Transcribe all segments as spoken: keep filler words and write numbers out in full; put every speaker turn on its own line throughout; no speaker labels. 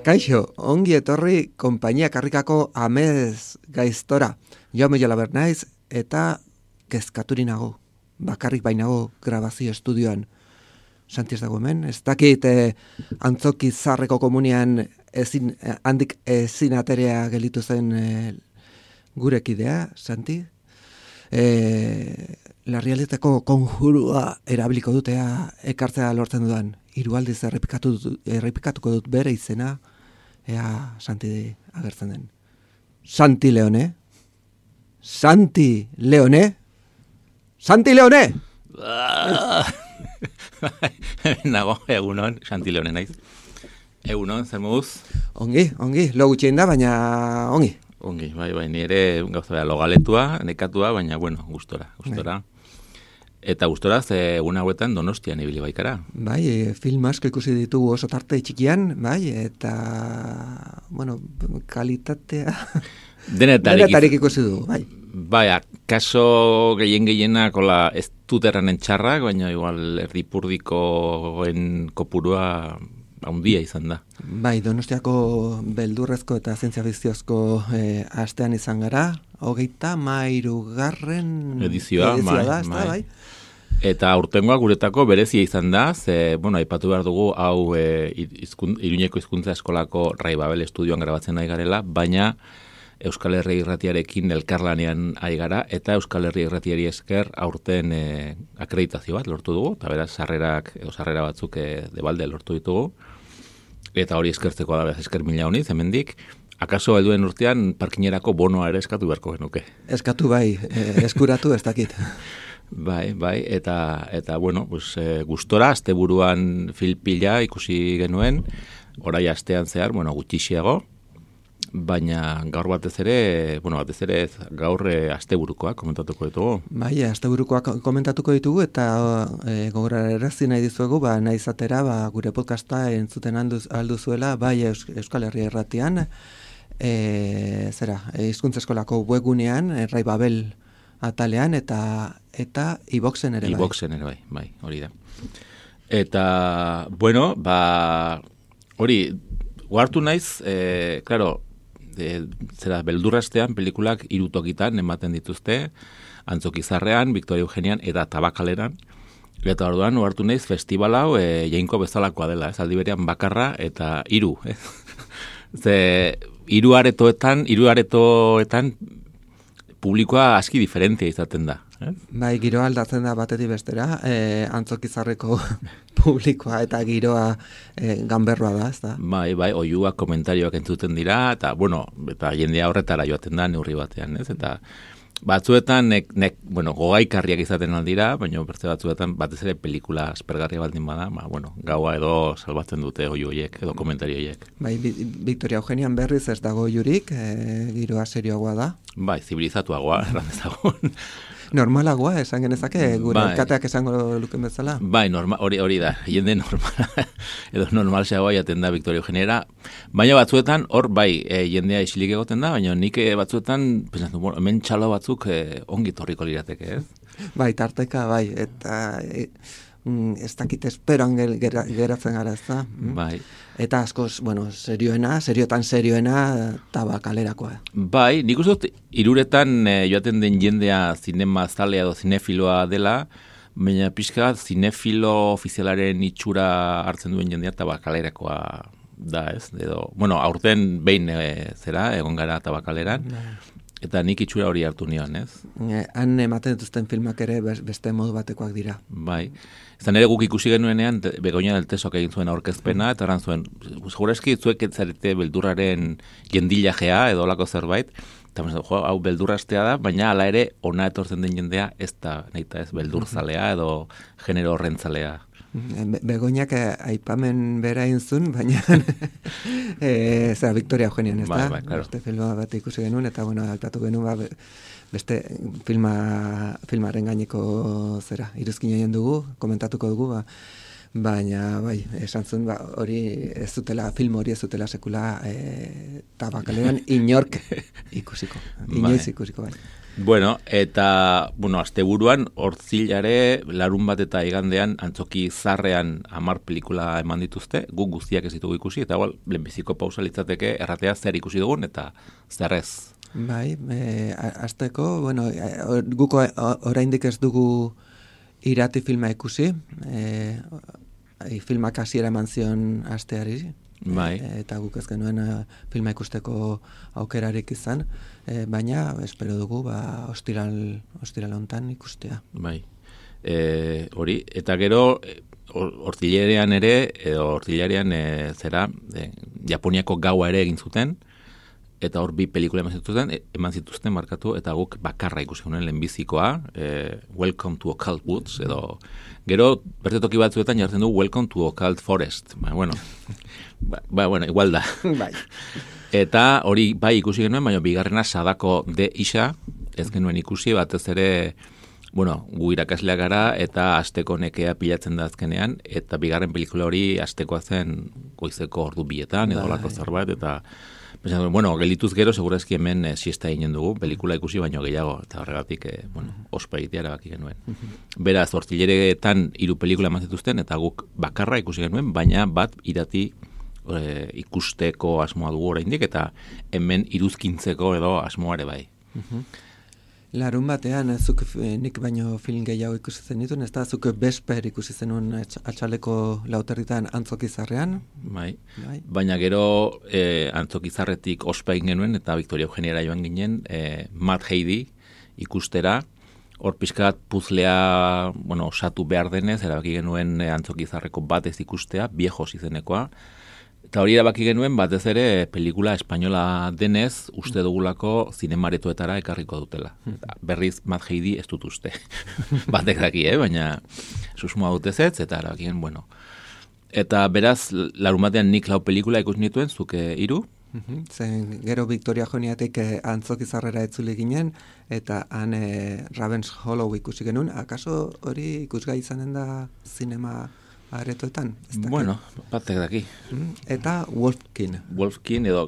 Kaixo, ongi etorri konpainia karrikako amez gaiztora. Jaume Jolaber naiz eta kezkaturi nago. Bakarrik bainago grabazio estudioan. Santi ez dago hemen, ez dakit eh, antzoki zarreko komunian ezin, eh, handik ezin aterea gelitu zen eh, gurekidea, Santi. Eh, Larrialdetako konjurua erabiliko dutea ekartzea lortzen dudan. Hiru aldiz errepikatu, errepikatuko dut bere izena, ea Santi agertzen den. Santi Leone? Santi Leone? Santi Leone!
Nago, egunon, Santi Leone naiz. Egunon, zer moduz?
Ongi, ongi, lo gutxien da, baina ongi.
Ongi, bai, bai, nire gauza bera logaletua, nekatua, baina, bueno, gustora, gustora. Bai. Eta gustora, ze egun hauetan Donostian ibili baikara.
Bai, film asko ikusi ditugu oso tarte txikian, bai, eta, bueno, kalitatea...
Denetarik,
Denetarik ikusi dugu, bai.
Bai, kaso gehien gehienak, hola, ez dut erranen txarrak, baina igual erdipurdikoen kopurua handia izan da.
Bai, Donostiako beldurrezko eta zientzia fikziozko eh, astean izan gara, hogeita mairugarren
edizioa,
edizioa
bai,
da, ez da,
bai.
bai.
Eta aurtengoa guretako berezia izan da, ze, bueno, aipatu behar dugu, hau e, izkun, Iruñeko hizkuntza eskolako Rai Babel estudioan grabatzen ari garela, baina Euskal Herri Irratiarekin elkarlanean ari gara, eta Euskal Herri Irratiari esker aurten e, akreditazio bat lortu dugu, eta beraz sarrerak, edo sarrera batzuk e, debalde lortu ditugu, eta hori eskertzeko da, beraz esker mila honiz, hemendik, akaso helduen urtean parkinerako bonoa ere eskatu beharko genuke.
Eskatu bai, e, eskuratu ez dakit.
Bai, bai, eta, eta bueno, pues, e, gustora, asteburuan filpila ikusi genuen, orai astean zehar, bueno, gutxixiago, baina gaur batez ere, bueno, batez ere gaur e, asteburukoak komentatuko ditugu.
Bai, asteburukoak komentatuko ditugu, eta e, gogorarazi nahi dizuegu, ba, nahi izatera, ba, gure podcasta entzuten alduz, alduzuela, bai Euskal Herria Irratian, e, zera, e, hizkuntza eskolako webgunean, e, Rai Babel atalean, eta eta iBoxen ere bai.
iBoxen ere bai, bai, hori da. Eta, bueno, ba, hori, guartu naiz, e, claro, e, zera, beldurrastean pelikulak hiru tokitan ematen dituzte, Antzokizarrean, Victoria Eugenian eta Tabakaleran. Eta orduan, guartu naiz, festival hau e, jainko bezalakoa dela, ez, aldi berean bakarra eta hiru, ez? Ze, hiru aretoetan, hiru aretoetan publikoa aski diferentzia izaten da. Eh?
Bai, giroa aldatzen da batetik bestera, e, Antzokizarreko publikoa eta giroa e, ganberroa da, ez da?
Bai, bai, oiuak komentarioak entzuten dira, eta, bueno, eta jendea horretara joaten da neurri batean, ez? Eta batzuetan, nek, nek, bueno, gogaikarriak izaten aldira, baina bertze batzuetan batez ere pelikula aspergarria baldin bada, ba, bueno, gaua edo salbatzen dute oiu horiek, edo komentario horiek.
Bai, Victoria Eugenian berriz ez dago jurik, e, giroa serioagoa da.
Bai, zibilizatuagoa, erran dezagun.
Normalagoa, esan genezake, gure
bai.
Kateak esango luken bezala.
Bai, norma, hori, hori da, jende normala, edo normalseagoa jaten da Victoria Eugeniera, baina batzuetan, hor, bai, e, jendea isilik egoten da, baina nik batzuetan, pensatzen, bueno, hemen txalo batzuk e, ongi torriko lirateke, ez?
Bai, tarteka, bai, eta e, mm, ez dakit esperoan ger, ger, geratzen gara, ez da? Mm?
Bai.
Eta askoz, bueno, serioena, seriotan serioena, Tabakalerakoa.
Bai, nik uste dut, iruretan e, joaten den jendea zinema zalea edo zinefiloa dela, baina pixka zinefilo ofizialaren itxura hartzen duen jendea Tabakalerakoa da, ez? Edo, bueno, aurten behin e, zera, egon gara Tabakaleran, eta nik itxura hori hartu nion, ez?
E, han ematen dituzten filmak ere beste modu batekoak dira.
Bai. Izan ere guk ikusi genuenean, Begoña del Tesok egin zuen aurkezpena, eta eran zuen, segurazki zuek etzarete beldurraren jendilajea edo olako zerbait, eta jo, hau beldurrastea da, baina hala ere ona etortzen den jendea ez da, nahita ez, beldurzalea edo genero horrentzalea
Be- Begoñak eh, aipamen bera inzun, baina e, zera, Victoria Eugenian, ez
Bai,
da?
bai, claro.
Beste filma bat ikusi genuen, eta bueno, aipatu genuen, ba, be- beste filma, filmaren gaineko zera, iruzkin egin dugu, komentatuko dugu, ba, baina, bai, esan zuen, ba, hori ez zutela, film hori ez zutela sekula e, tabakalean inork ikusiko, inoiz ikusiko, bai.
Bueno, eta, bueno, asteburuan, hortzilare, larun bat eta igandean, antzoki zarrean hamar pelikula eman dituzte, guk guztiak ez ditugu ikusi, eta igual, lehenbiziko pausa litzateke, erratea zer ikusi dugun, eta zerrez.
Bai, e, azteko, bueno, e, guk o- oraindik ez dugu irati filma ikusi, e, e, filmak hasiera eman zion asteari,
Bai.
e, eta guk ez genuen e, filma ikusteko aukerarik izan, e, baina espero dugu ba, ostiral, ostiral hontan ikustea.
Bai. E, hori, eta gero, e, hor- hortzilerean ere, edo hortzilerean e, zera, e, Japoniako gaua ere egin zuten, eta hor bi pelikula eman zituzten, e, eman zituzten markatu, eta guk bakarra ikusi honen lehenbizikoa, e, Welcome to Occult Woods, edo gero, beste toki batzuetan jartzen du Welcome to Occult Forest. Ba, bueno, ba, ba, bueno, igual da.
Bai.
Eta hori bai ikusi genuen, baina bigarrena Sadako de Isa, ez genuen ikusi, batez ere, bueno, gu irakasleak gara, eta asteko nekea pilatzen da azkenean, eta bigarren pelikula hori astekoa zen goizeko ordu bietan, edo
Bai.
lako zerbait, eta pentsatu, bueno, gelituz gero, segurazki hemen e, siesta eginen dugu, pelikula ikusi baino gehiago, eta horregatik, e, bueno, ospa egitea erabaki genuen. Beraz, hortzileretan hiru pelikula eman zituzten, eta guk bakarra ikusi genuen, baina bat irati e, ikusteko asmoa dugu oraindik, eta hemen iruzkintzeko edo asmoa ere bai.
Larun batean, ez zuk eh, nik baino film gehiago ikusi zen ditun, ez da, zuk Besper ikusi zenun atx- atxaleko lauterritan antzokizarrean,
Bai.
bai?
Baina gero e, antzokizarretik ospa egin genuen, eta Victoria Eugeniara joan ginen, e, Mad Heidi ikustera, hor pixkat puzlea, bueno, osatu behar denez, erabaki genuen e, antzokizarreko bat ez ikustea, Viejos izenekoa, eta hori erabaki genuen batez ere pelikula espainola denez uste dugulako zinemaretoetara ekarriko dutela. Berriz Mad Heidi ez dut uste. Batek daki, eh? Baina susmoa dut ezetz, eta erabaki genuen, bueno. Eta beraz, larumatean nik lau pelikula ikus nituen, zuke hiru.
Mhm. Zen gero Victoria Joniatik eh, antzokizarrera etzuli ginen, eta han eh, Ravens Hollow ikusi genuen, akaso hori ikusgai izanen da zinema aretoetan? Ez dakit.
Bueno, batek daki.
Mhm. Eta Wolfkin.
Wolfkin edo,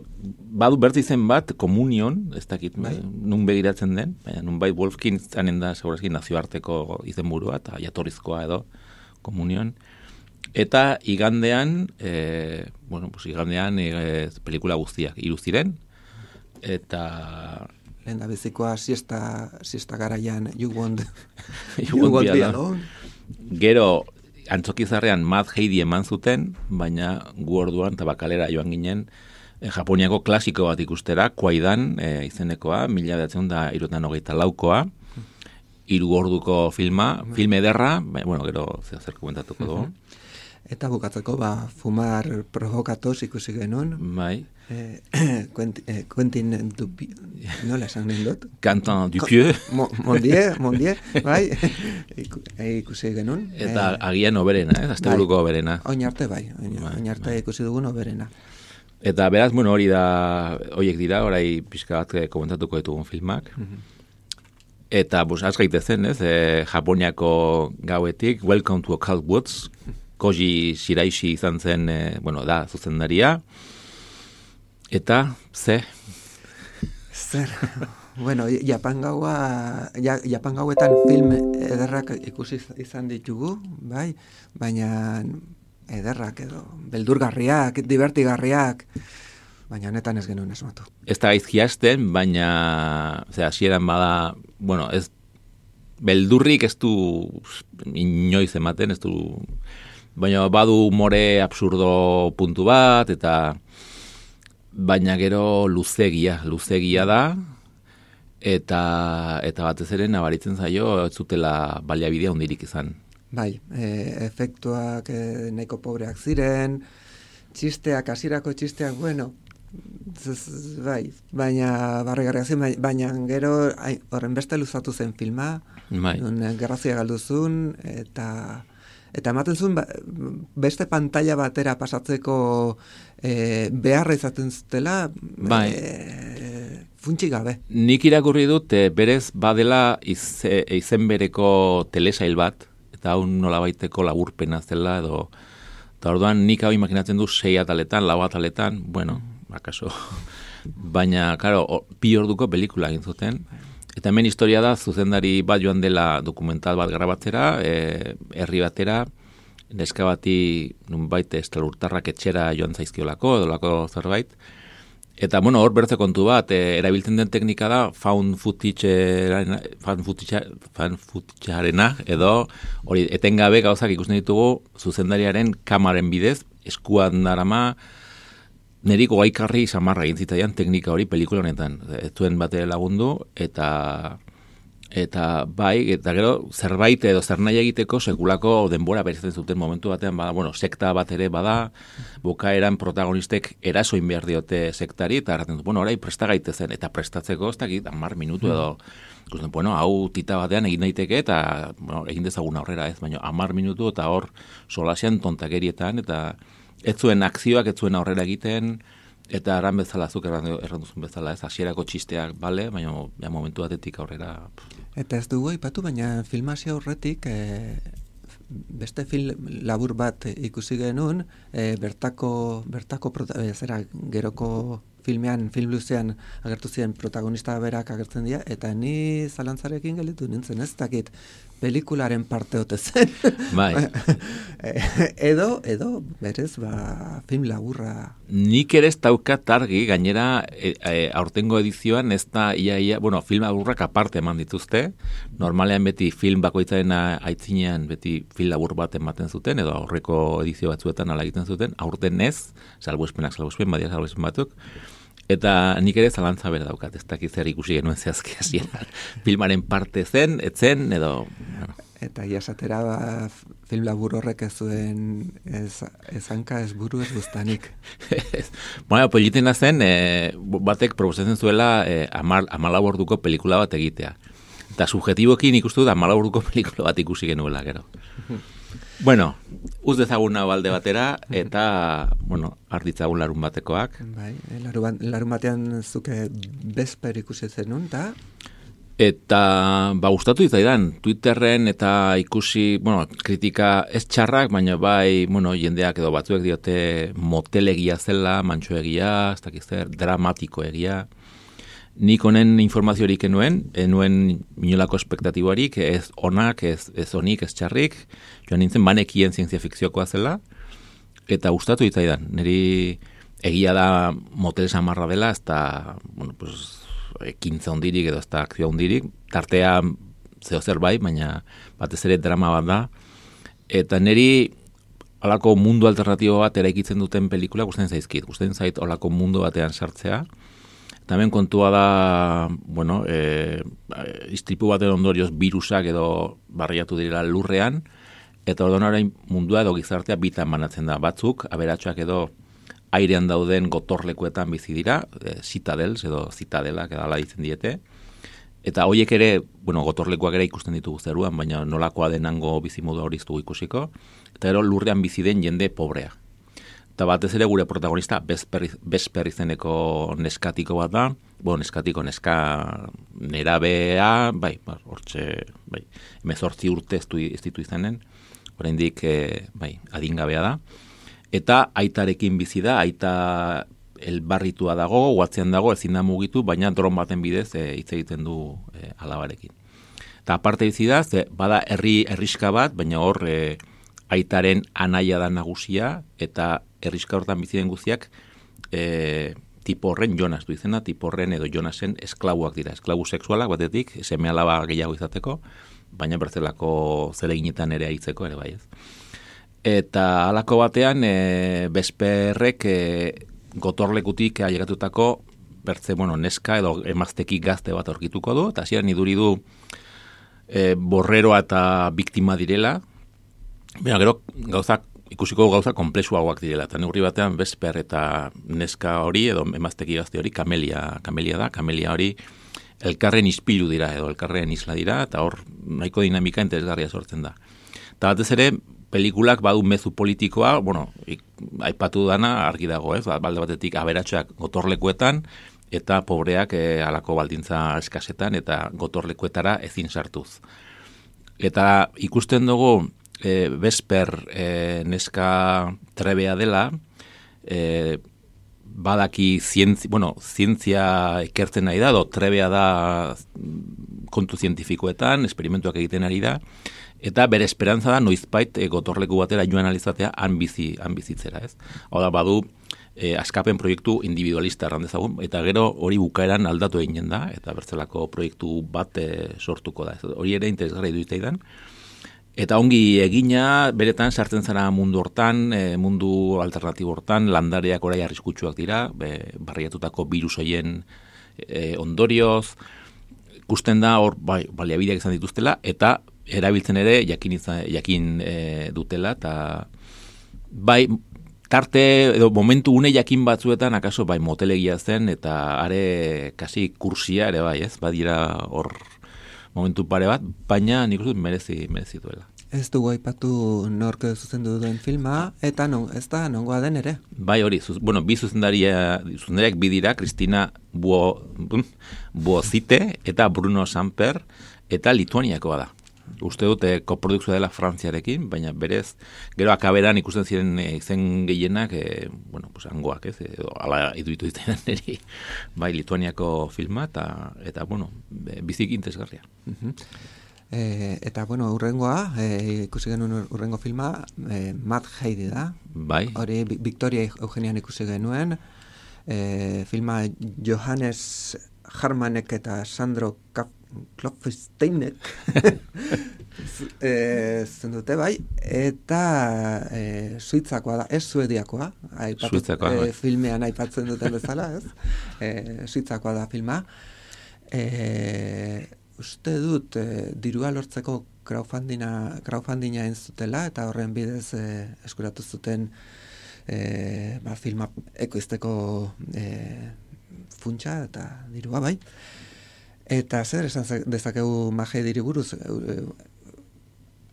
badu bertzi zen bat, Komunion, ez dakit,
Bai.
nun begiratzen den, baina nun bai Wolfkin zanen da, segurazki, nazioarteko izenburua, eta jatorrizkoa edo, Komunion. Eta igandean, e, bueno, pues igandean e, pelikula guztiak hiru ziren, eta
Lehen da bizikoa siesta, siesta garaian You Won't,
You
you
Won't
won't
Be
be
Alone.
alone.
Gero, antzokizarrean Mad Heidi eman zuten, baina gu orduan tabakalera joan ginen, e, Japoniako klasiko bat ikustera, Kwaidan e, izenekoa, mila bederatziehun eta hirurogeita hogeita laukoa, hiru orduko filma, film ederra, baina, bueno, gero zer zer komentatuko dugu.
Eta bukatzeko, ba, fumar provokatos ikusi genuen.
Bai,
Eh, Quentin, eh, Quentin Dupi, nola esan nahi dut?
Quentin Dupieux,
Mo, Mondier, Mondier, bai, Iku, eh, ikusi genuen.
eta agian oberena, eh, asteburuko oberena.
Oin arte bai, oin,
Bai,
oin arte
bai.
ikusi dugun oberena.
Eta beraz, bueno, hori da, horiek dira, orai pixka bat eh, komentatuko ditugun filmak. Eta, bus, az gaitezen, ez, e, Japoniako gauetik, Welcome to Occult Woods, Koji Shiraishi izan zen, e, bueno, da, zuzendaria. Eta, ze,
Zer, bueno, Japan gaua, ja, Japan gauetan film ederrak ikusi izan ditugu, bai, baina ederrak edo, beldurgarriak, divertigarriak, baina honetan ez genuen asmatu.
ez da gaizki hasten, baina, ze, hasieran bada, bueno, ez, beldurrik ez du inoiz ematen, ez du, baina badu more absurdo puntu bat, eta baina gero luzegia, luzegia da, eta eta batez ere nabaritzen zaio ez zutela baliabidea hundirik izan.
Bai, e, efektuak e, nahiko pobreak ziren, txisteak, hasierako txisteak, bueno, z, bai, baina barregarriak ziren, baina gero ai, horren beste luzatu zen filma,
Bai.
nun gerrazia galduzun, eta eta ematen zuen ba, beste pantalla batera pasatzeko e, beharra izaten zutela
bai.
e, funtsi gabe.
Nik irakurri dut e, berez badela iz, e, izen bereko telesail bat, eta hau nolabaiteko laburpena zela edo, eta orduan nik hau imaginatzen du sei ataletan, lau ataletan, bueno, akaso, baina, karo, bi orduko pelikula egin zuten. Eta hemen historia da, zuzendari bat joan dela dokumental bat grabatzera, e, herri batera, neska bati nunbait estelurtarrak etxera joan zaizkiolako, edolako zerbait. Eta, bueno, hor bertze kontu bat, e, erabiltzen den teknika da, found footage-arena, found footage, found footage-arena, edo, hori, etengabe gauzak ikusten ditugu, zuzendariaren kamaren bidez, eskuan darama, neriko gaikarri samarra egin zitzaidan teknika hori pelikula honetan. Ez zuen bate lagundu, eta eta bai, eta gero zerbait edo zer nahi egiteko sekulako denbora berezaten zuten momentu batean, bada, bueno, sekta bat ere bada, bukaeran protagonistek erasoin behar diote sektari, eta erraten du, bueno, orai presta gaitezen, eta prestatzeko, ez dakit, hamar minutu edo, ikusten, bueno, hau tita batean egin daiteke, eta bueno, egin dezagun aurrera ez, baina hamar minutu, eta hor solasean tontakerietan, eta ez zuen akzioak, ez zuen aurrera egiten, eta erran bezala, zuk erran duzun bezala, ez hasierako txisteak, bale, baina ja, momentu batetik aurrera.
Eta ez dugu aipatu, baina filmazio horretik, e, beste film labur bat ikusi genuen, e, bertako, bertako prota, e, zera, geroko filmean, film luzean agertu ziren protagonista berak agertzen dira, eta ni zalantzarekin gelitu nintzen, ez dakit, pelikularen parte ote zen.
Bai.
edo, edo, berez, ba, film laburra.
Nik ere ez daukat argi, gainera, e, e, aurtengo edizioan ez da, ia, ia, bueno, film laburrak aparte eman dituzte, normalean beti film bakoitzaren aitzinean beti film labur bat ematen zuten, edo aurreko edizio batzuetan ala egiten zuten, aurten ez, salbuespenak salbuespen, badia salbuespen batzuk, eta nik ere zalantza bera daukat, ez dakit zer ikusi genuen zehazki hasieran. Filmaren parte zen, etzen, edo... Bueno.
Eta jasatera ba, film labur horrek ez zuen ez, ez hanka, ez buru, ez guztanik.
Bueno, politena zen, e, batek proposatzen zuela e, amal, amalau orduko pelikula bat egitea. Eta subjetibokin ikustu da amalau orduko pelikula bat ikusi genuela, gero. Bueno, uz dezagun hau alde batera, eta, bueno, arditzagun larun batekoak.
Bai, larun, larun batean zuke bezper ikusi zenun, eta...
Eta, ba, gustatu izaidan, Twitterren eta ikusi, bueno, kritika ez txarrak, baina bai, bueno, jendeak edo batzuek diote motelegia zela, mantxoegia, ez dakiz zer, dramatiko egia. Nik honen informaziorik enuen, enuen minolako espektatiboarik, ez onak, ez, ez onik, ez txarrik, joan nintzen banekien zientzia fikziokoa zela, eta gustatu izaidan, niri egia da motel samarra dela, ez da, bueno, pues, ekintza hondirik edo ez da akzioa hondirik, tartea zeo zer bai, baina batez ere drama bat da, eta niri halako mundu alternatibo bat eraikitzen duten pelikula gustatzen zaizkit, gustatzen zait halako mundu batean sartzea. Tamen kontua da, bueno, e, istripu baten ondorioz virusak edo barriatu direla lurrean, eta orduan orain mundua edo gizartea bitan banatzen da. Batzuk, aberatsuak edo airean dauden gotorlekuetan bizi dira, e, citadels edo citadelak edala ditzen diete, eta horiek ere, bueno, gotorlekuak ere ikusten ditugu zeruan, baina nolakoa denango bizimodu hori ez dugu ikusiko, eta gero lurrean bizi den jende pobrea. Eta batez ere gure protagonista Besper izeneko neskatiko bat da, bueno, neskatiko neska nerabea, bai, hortxe, bai, hemezortzi urte ez ditu izanen, oraindik e, bai, adingabea da. Eta aitarekin bizi da, aita elbarritua dago, guatzean dago, ezin da mugitu, baina dron baten bidez e, hitz egiten du e, alabarekin. Eta aparte bizi da, ze, bada herri herriska bat, baina hor e, aitaren anaia da nagusia, eta herriska hortan bizi den guztiak e, tipo horren Jonas du izena, tipo horren edo Jonasen esklabuak dira, esklabu sexualak batetik, seme alaba gehiago izateko, baina bertzelako zereginetan ere aitzeko ere bai ez. Eta halako batean e, Besperrek e, gotorlekutik ailegatutako bertze, bueno, neska edo emazteki gazte bat aurkituko du, eta hasieran iduri du e, borreroa eta biktima direla, baina gero gauzak ikusiko gauza komplexuagoak direla, eta neurri batean Besper eta neska hori, edo emazteki gazte hori, kamelia, kamelia da, kamelia hori elkarren ispilu dira, edo elkarren isla dira, eta hor nahiko dinamika interesgarria sortzen da. Eta batez ere, pelikulak badu mezu politikoa, bueno, ik, aipatu dana argi dago, ez? Balde batetik aberatsak gotorlekuetan, eta pobreak e, alako baldintza eskasetan, eta gotorlekuetara ezin sartuz. Eta ikusten dugu, e, Vesper e, neska trebea dela, e, badaki zientzia, bueno, zientzia ikertzen nahi da, do trebea da kontu zientifikoetan, esperimentuak egiten ari da, eta bere esperantza da noizbait e, gotorleku batera joan alizatea han bizi, han bizitzera, ez? Hau da, badu, e, askapen proiektu individualista errandezagun, eta gero hori bukaeran aldatu eginen da, eta bertzelako proiektu bat e, sortuko da. Ez? Hori ere interesgarri duiteidan. Eta ongi egina, beretan sartzen zara mundu hortan, e, mundu alternatibo hortan, landareak orai arriskutsuak dira, be, barriatutako virus hoien e, ondorioz, ikusten da hor bai, baliabideak izan dituztela, eta erabiltzen ere jakin, izan, jakin e, dutela, eta bai, tarte, edo momentu une jakin batzuetan, akaso bai motelegia zen, eta are kasi kursia ere bai, ez? Badira hor momentu pare bat, baina nik uste dut merezi, merezi duela.
Ez dugu aipatu nork zuzendu duen filma, eta non, ez da nongoa den ere.
Bai hori, zuz, bueno, bi zuzendaria, zuzendariak bi dira, Kristina Buo, Buozite eta Bruno Samper, eta Lituaniakoa da. Uste dute koprodukzioa dela Frantziarekin, baina berez, gero akaberan ikusten ziren e, izen gehienak, e, bueno, pues hangoak, ez, edo, ala iduitu izan niri, bai, Lituaniako filma, eta, eta bueno, bizik interesgarria.
Uh-huh. E, eta, bueno, urrengoa, e, ikusi genuen urrengo filma, e, Mad Heidi da.
Bai.
Hori, Victoria Eugenian ikusi genuen, e, filma Johannes Harmanek eta Sandro Kap Klopfsteinek e, zen dute bai, eta e, suitzakoa da, ez suediakoa,
suitzakoa,
e,
bai.
Filmean aipatzen duten bezala, ez? E, suitzakoa da filma. E, uste dut, e, dirua lortzeko crowdfundinga, crowdfundinga entzutela, eta horren bidez e, eskuratu zuten e, ba, filma ekoizteko e, funtsa eta dirua bai. Eta zer, esan dezakegu Mad Heidiri buruz, e,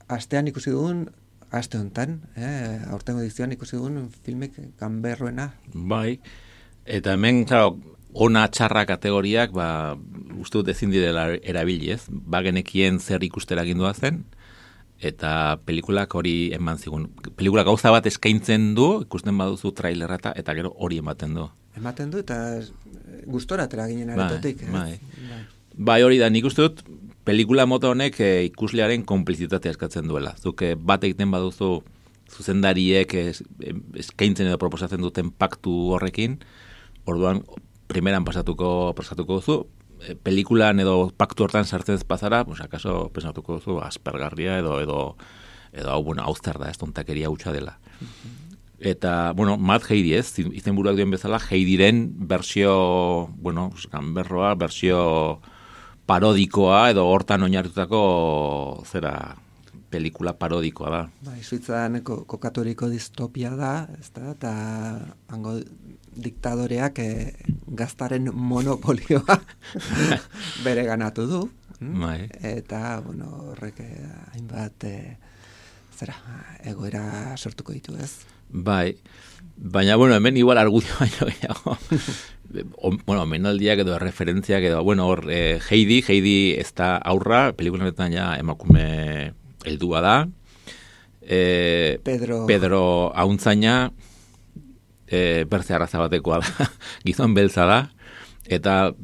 astean ikusi dugun, aste honetan, eh, aurtengo edizioan ikusi dugun filmek ganberroena.
Bai, eta hemen, claro, ona txarra kategoriak, ba, uste dut ezin direla erabili, ez? Ba genekien zer ikustera gindua zen, eta pelikulak hori eman zigun. Pelikula gauza bat eskaintzen du, ikusten baduzu trailerra eta, eta gero hori ematen du.
Ematen du, eta gustora atera ginen aretotik.
Bai, bai. Bai. Bai hori da, nik uste dut, pelikula mota honek e, ikuslearen konplizitatea eskatzen duela. Zuk e, bat egiten baduzu zuzendariek es, eskaintzen edo proposatzen duten paktu horrekin, orduan, primeran pasatuko, pasatuko duzu, e, pelikulan edo paktu hortan sartzen ez pasara, pues, akaso pensatuko duzu aspergarria edo, edo, edo hau, bueno, hauztar da, ez tontakeria hutsa dela. Eta, bueno, Mad Heidi ez, izenburuak duen bezala, Heidiren bersio, bueno, ganberroa, bersio parodikoa edo hortan oinarritutako zera pelikula parodikoa da.
Bai, Suitzan kokaturiko distopia da, ezta, eta hango diktadoreak e, gaztaren monopolioa bere ganatu du.
Bai.
Eta, bueno, horrek hainbat e, zera, egoera sortuko ditu, ez?
Bai, baina, bueno, hemen igual argudio baino gehiago. Bueno, menaldiak edo referentziak edo, bueno, hor, eh, Heidi, Heidi ez da aurra, pelikuletan ja emakume heldua da. Eh,
Pedro,
Pedro Auntzaina, eh, bertze arraza batekoa da, gizon beltza da, eta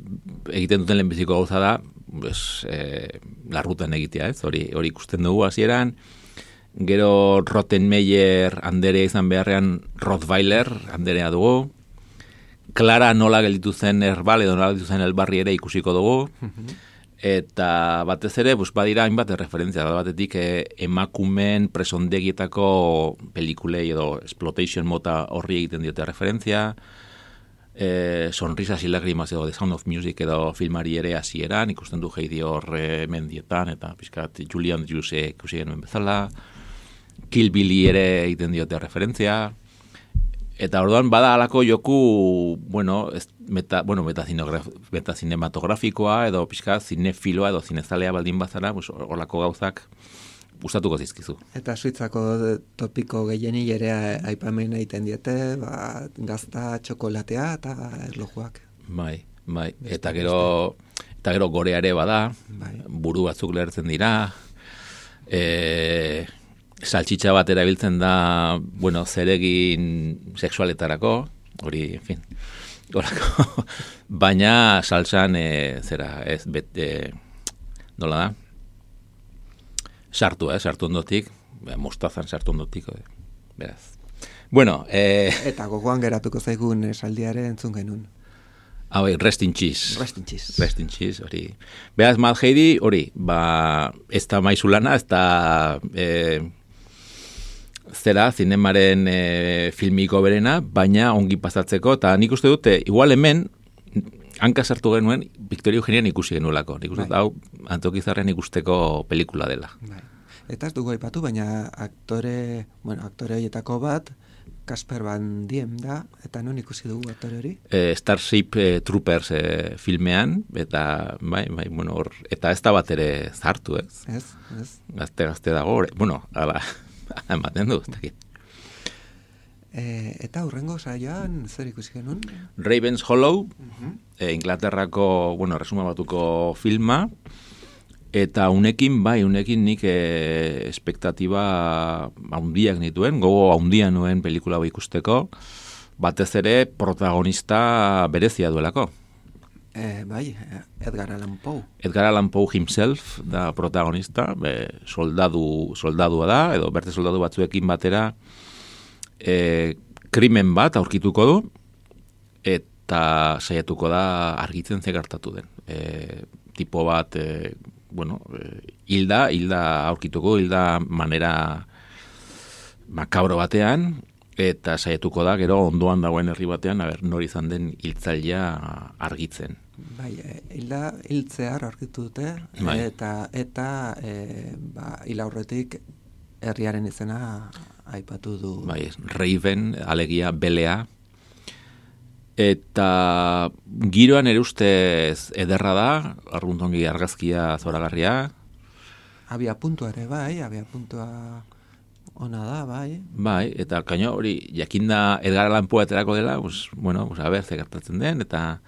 egiten duten lehenbiziko gauza da, pues, eh, larrutan egitea, ez, hori, hori ikusten dugu hasieran. Gero Rottenmeier anderea izan beharrean Rottweiler anderea dugu. Clara nola gelditu zen erbal edo nola gelditu zen elbarri ere ikusiko dugu. Eta batez ere, pues, badira hainbat referentzia. Batetik eh, emakumen presondegietako pelikulei edo exploitation mota horri egiten diote referentzia. Eh, Sonrisas y lágrimas edo The Sound of Music edo filmari ere hasieran ikusten du Heidi hor eh, mendietan eta pizkat Julian Andrews ikusi genuen bezala. Kill Billy ere egiten diote referentzia. Eta orduan bada halako joku, bueno, ez, meta, bueno, metazinematografikoa edo pizkat zinefiloa edo zinezalea baldin bazara, pues, olako gauzak gustatuko zizkizu.
Eta Suitzako topiko gehieni ere aipamen egiten diete, ba, gazta, txokolatea eta erlojuak.
Bai, bai. Beste, eta gero eta gero gorea ere bada, bai. Buru batzuk lehertzen dira, e, saltxitxa bat erabiltzen da, bueno, zeregin sexualetarako, hori, en fin, horako, baina saltxan, e, zera, ez, bet, e, nola da? Sartu, eh, sartu ondotik, mostazan sartu ondotik, eh, beraz. Bueno, eh...
Eta gogoan geratuko zaigun esaldiare entzun genuen.
Ah, bai, rest in cheese.
Rest in cheese.
Rest in cheese, hori. Beraz, Mad Heidi, hori, ba, ez da maizulana, ez da, eh, zera, zinemaren eh, filmiko berena, baina ongi pasatzeko, eta nik uste dute, igual hemen, hanka sartu genuen, Victoria Eugenian ikusi genuelako. Nik uste, bai. Hau, Antokizarren ikusteko pelikula dela.
Bai. Eta ez dugu aipatu, baina aktore, bueno, aktore horietako bat, Kasper Van Diem da, eta non ikusi dugu aktore hori?
Eh, Starship eh, Troopers eh, filmean, eta, bai, bai, bueno, or, eta ez da bat ere zartu, ez?
Ez, ez.
Gazte-gazte dago, or, bueno, ala, ematen du, ez dakit.
E, eta hurrengo saioan zer ikusi genuen?
Raven's Hollow,
uh-huh.
e, Inglaterrako, bueno, resuma batuko filma, eta unekin, bai, unekin nik e, espektatiba haundiak nituen, gogo haundia nuen pelikula hau ikusteko, batez ere protagonista berezia duelako.
E, bai, Edgar Allan Poe.
Edgar Allan Poe himself da protagonista, be, soldadu, soldadua da, edo berte soldadu batzuekin batera, E, krimen bat aurkituko du eta saiatuko da argitzen ze gertatu den. E, tipo bat, e, bueno, e, hilda, hilda aurkituko, hilda manera makabro batean, eta saiatuko da gero ondoan dagoen herri batean, aber, nori izan den hiltzailea argitzen.
Bai, hilda hiltzear aurkitu dute, bai. eta eta e, ba, hil aurretik herriaren izena aipatu du.
Bai, Raven, alegia, belea. Eta giroan ere ustez ederra da, arruntongi argazkia zoragarria.
Abia puntua ere, bai, abia puntua ona da, bai.
Bai, eta kaino hori, jakinda Edgar Allan Poe aterako dela, pues, bueno, pues, a ber, ze gertatzen den, eta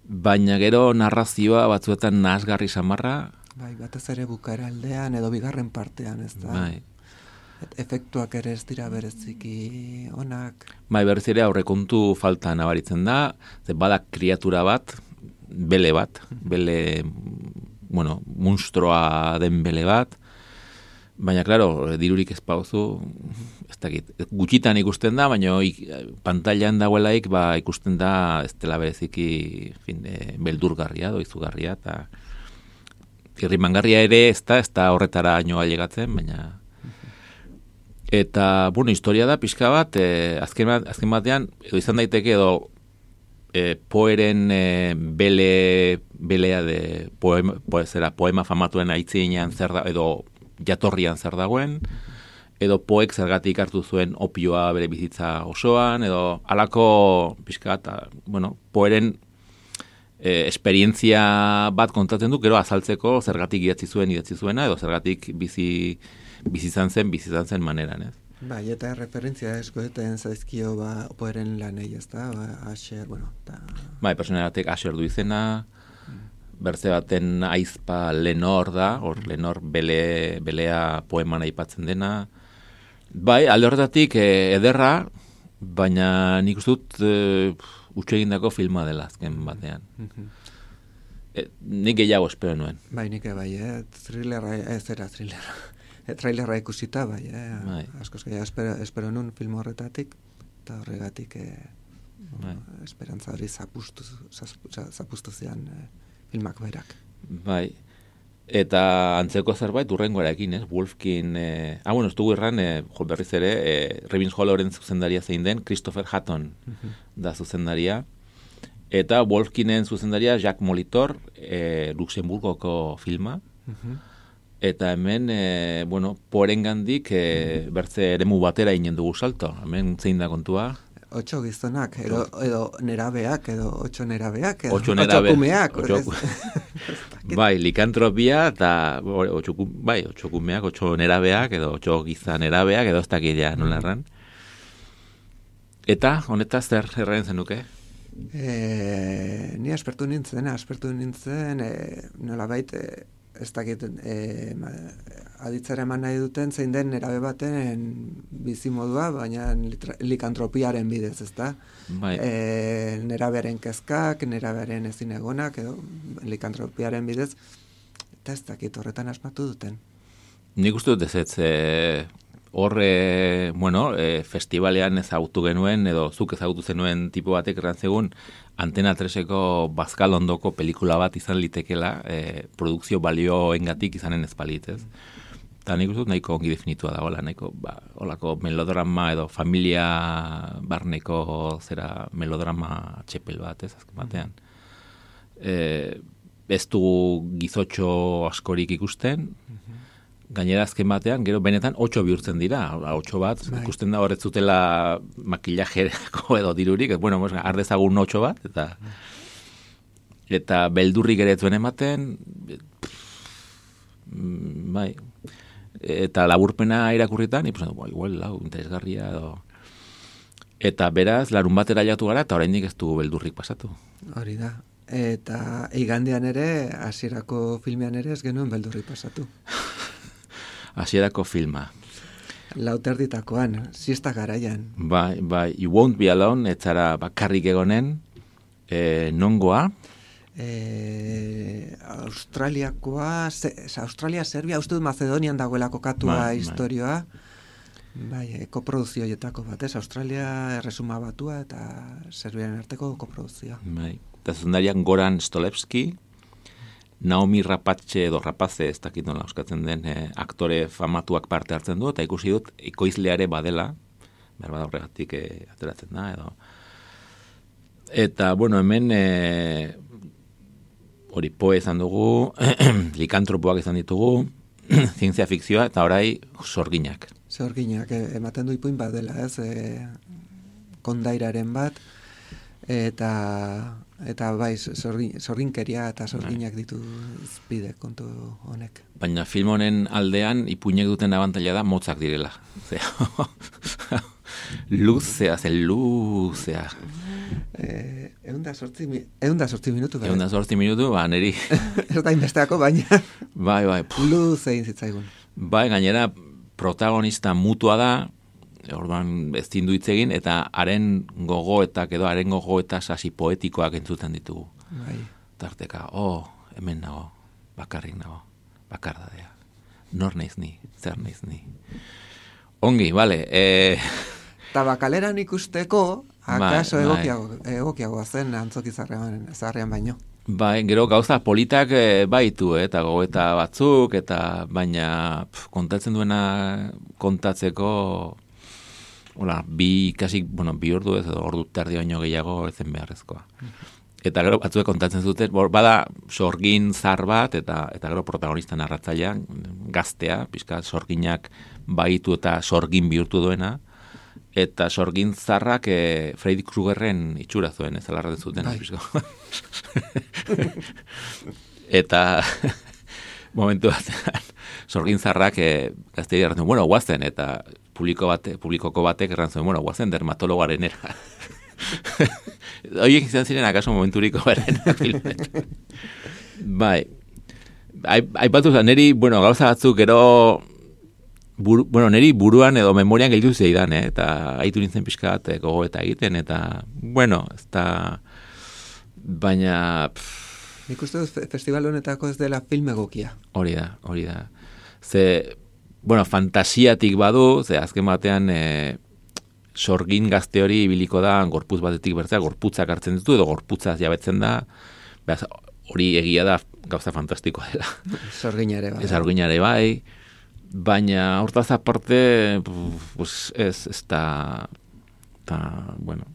baina gero narrazioa batzuetan nahasgarri samarra.
Bai, batez ere bukaera aldean edo bigarren partean, ez da?
Bai.
Efektuak ere ez dira bereziki onak.
Bai, berriz ere aurrekontu falta nabaritzen da, ze bada kriatura bat, bele bat, bele, bueno, munstroa den bele bat, baina, klaro, dirurik ez pauzu, ez dakit, gutxitan ikusten da, baina pantailan dagoelaik, ba, ikusten da, ez dela bereziki, fin, e, beldurgarria, doizugarria, eta irrimangarria ere ez da, ez da horretara noa llegatzen, baina... Eta, bueno, historia da, pixka bat, eh, azken, azken batean, edo izan daiteke, edo eh, Poeren eh, bele, belea de poema, poezera, poema famatuen aitzinean zer da, edo jatorrian zer dagoen, edo Poek zergatik hartu zuen opioa bere bizitza osoan, edo halako pixka bat, bueno, Poeren eh, esperientzia bat kontatzen du, gero azaltzeko zergatik idatzi zuen, idatzi zuena, edo zergatik bizi... bizizan zen, bizizan zen maneran, ez?
Bai, eta referentzia eskoeten zaizkio, ba, Poeren lanei, ez da, ba, Asher, bueno, eta...
Bai, personera batek Asher du izena, mm. bertze baten aizpa Lenor da, hor Lenor bele, belea poeman aipatzen dena. Bai, alde horretatik eh, ederra, baina nik uste dut eh, utxegindako filma dela azken batean. Mm-hmm. E, nik gehiago espero nuen.
Bai, nik bai, eh? Thrillerra, ez era thrillerra. E, trailerra ikusita, bai, eh?
Bai.
Askoz gehiago espero, espero nun film horretatik, eta horregatik eh, bai. Esperantza hori zapustu, zapustu zian eh, filmak berak.
Bai, eta antzeko zerbait urrengoarekin, ez? Wolfkin, eh, ah, bueno, ez dugu erran, eh, jo, berriz ere, eh, Raven's Hollowren zuzendaria zein den, Christopher Hatton uh-huh. da zuzendaria, eta Wolfkinen zuzendaria Jacques Molitor, eh, Luxemburgoko filma, uh-huh. Eta hemen, e, bueno, Poeren gandik e, bertze eremu batera inen dugu salto. Hemen zein da kontua?
Otxo gizonak, edo, edo nerabeak, edo otxo nerabeak, edo
otxo, nerabe,
otxo kumeak.
Otxo, Bai, likantropia, eta otxoku, bai, otxokumeak, otxo nerabeak, edo otxo giza nerabeak, edo ez dakidea nola erran. Eta, honetaz, zer erraien zenuke?
E, ni aspertu nintzen, aspertu nintzen, e, nola bait, e, ez dakit, e, aditzara eman nahi duten zein den nerabe baten bizimodua, baina likantropiaren bidez, ezta?
Bai.
E, nerabearen kezkak, nerabearen ezin egonak, edo likantropiaren bidez, eta ez dakit horretan asmatu duten.
Nik uste dut ez ez, e, horre, bueno, e, festivalean ezagutu genuen, edo zuk ezagutu zenuen tipo batek errantzegun, Antena treseko Bazkal ondoko pelikula bat izan litekela, e, produkzio balioengatik izanen ezpalit, ez? Eta nik uste dut nahiko ongi definitua dagoela, nahiko, ba, olako melodrama edo familia barneko zera melodrama txepel bat, ez, azken batean. E, ez du gizotxo askorik ikusten, gainera azken batean, gero benetan otxo bihurtzen dira, otxo bat, bai. Ikusten da horret zutela makillajerako edo dirurik, bueno, ardezagun otxo bat, eta eta beldurrik ere zuen ematen, bai, eta laburpena irakurritan, ikusten du, igual, lau, interesgarria, edo... Eta beraz, larun batera jatu gara, eta oraindik ez du beldurrik pasatu.
Hori da. Eta igandean ere, hasierako filmean ere ez genuen beldurrik pasatu.
Hasierako filma.
Lauterditakoan, siesta garaian.
Bai, bai, You Won't Be Alone, etzara bakarrik egonen, e, nongoa?
E, Australiakoa, se, Australia, Serbia, uste dut Macedonian dagoela kokatua bai, historioa. Bai, e, koproduzioetako bat, ez? Australia erresuma batua eta Serbiaren arteko koproduzioa.
Bai, eta zuzendariak Goran Stolevski, Naomi Rapace edo Rapace, ez dakit nola euskatzen den, eh, aktore famatuak parte hartzen du, eta ikusi dut, ekoizleare badela, behar bada horregatik eh, ateratzen da, edo. Eta, bueno, hemen, eh, hori poe izan dugu, likantropoak izan ditugu, zientzia fikzioa, eta orai sorginak.
Sorginak, eh, ematen du ipuin bat dela, ez, eh, kondairaren bat, eta... Eta bai, sorgin, sorginkeria eta sorginak ditu izpide kontu honek.
Baina film honen aldean ipuinek duten abantaila da motzak direla. Luzea, zen luzea.
Eh, eunda sortzi, eunda sortzi minutu.
Eunda sortzi minutu, ba, neri.
Ez da inbesteako, baina.
Bai, bai.
Luze egin zitzaigun.
Bai, gainera protagonista mutua da, orduan ez zindu hitz egin, eta haren gogoetak edo haren gogoeta sasi poetikoak entzuten ditugu.
Bai.
Tarteka, oh, hemen nago, bakarrik nago, bakardadea. Nor naiz ni, zer naiz ni. Ongi, bale. E...
Tabakaleran ikusteko, akaso
bai,
egokiago, egokiagoa zen antzoki zarrean baino.
Bai, gero gauza politak e, baitu, eh, eta gogoeta batzuk, eta baina pf, kontatzen duena kontatzeko... Hola, bi, kasi, bueno, bi ordu ez, edo ordu terdi baino gehiago ezen beharrezkoa. Eta gero batzuek kontatzen zuten, bada sorgin zar bat, eta eta gero protagonista narratzailean, gaztea, pixka sorginak baitu eta sorgin bihurtu duena, eta sorgin zarrak e, Freddy Kruegerren itxura zuen, ez alarraten zuten. Eta momentu bat, sorgin zarrak e, gaztea dira, bueno, guazen, eta publiko bate, publikoko batek erran zuen, bueno, guazen dermatologaren era. Oiek izan ziren akaso momenturiko beren filmet. Bai, aipatu zen, neri, bueno, gauza batzuk gero, buru, bueno, neri buruan edo memorian gelditu zeidan, eh? Eta haitu nintzen pixka bat gogo eta egiten, eta, bueno, ez da, baina... Pff,
nik uste dut festival honetako ez dela film egokia.
Hori da, hori da. Ze... Bueno, fantasiatik badu, ze azken batean e, sorgin gazte hori ibiliko da gorputz batetik bertzea, gorputzak hartzen ditu edo gorputzaz jabetzen da, beraz, hori egia da gauza fantastikoa dela.
Sorginare bai.
Sorginare bai, baina hortaz aparte, pues, ez, ez da, ta, bueno,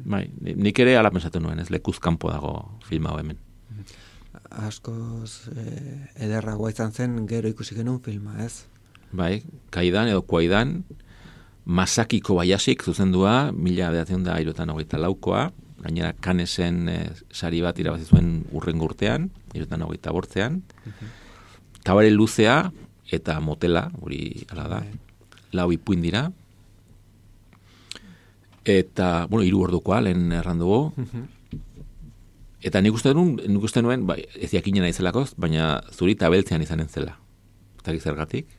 bai, nik ere ala pensatu nuen, ez lekuz kanpo dago filma hau hemen.
Askoz eh, ederragoa izan zen gero ikusi genuen filma, ez?
Bai, Kaidan edo Kuaidan, Masaki Kobayashik zuzendua, mila bederatzen da hirurogeita laukoa, gainera Canesen e, sari bat irabazi zuen urrengo urtean, hirurogeita hogeita bortzean, Kabare luzea eta motela, hori hala da, lau ipuin dira, eta, bueno, hiru ordukoa, lehen erran dugu, eta nik uste nuen, nik uste nuen, bai, ez jakinen naizelako, baina zuri tabeltzean izanen zela. Eta gizergatik.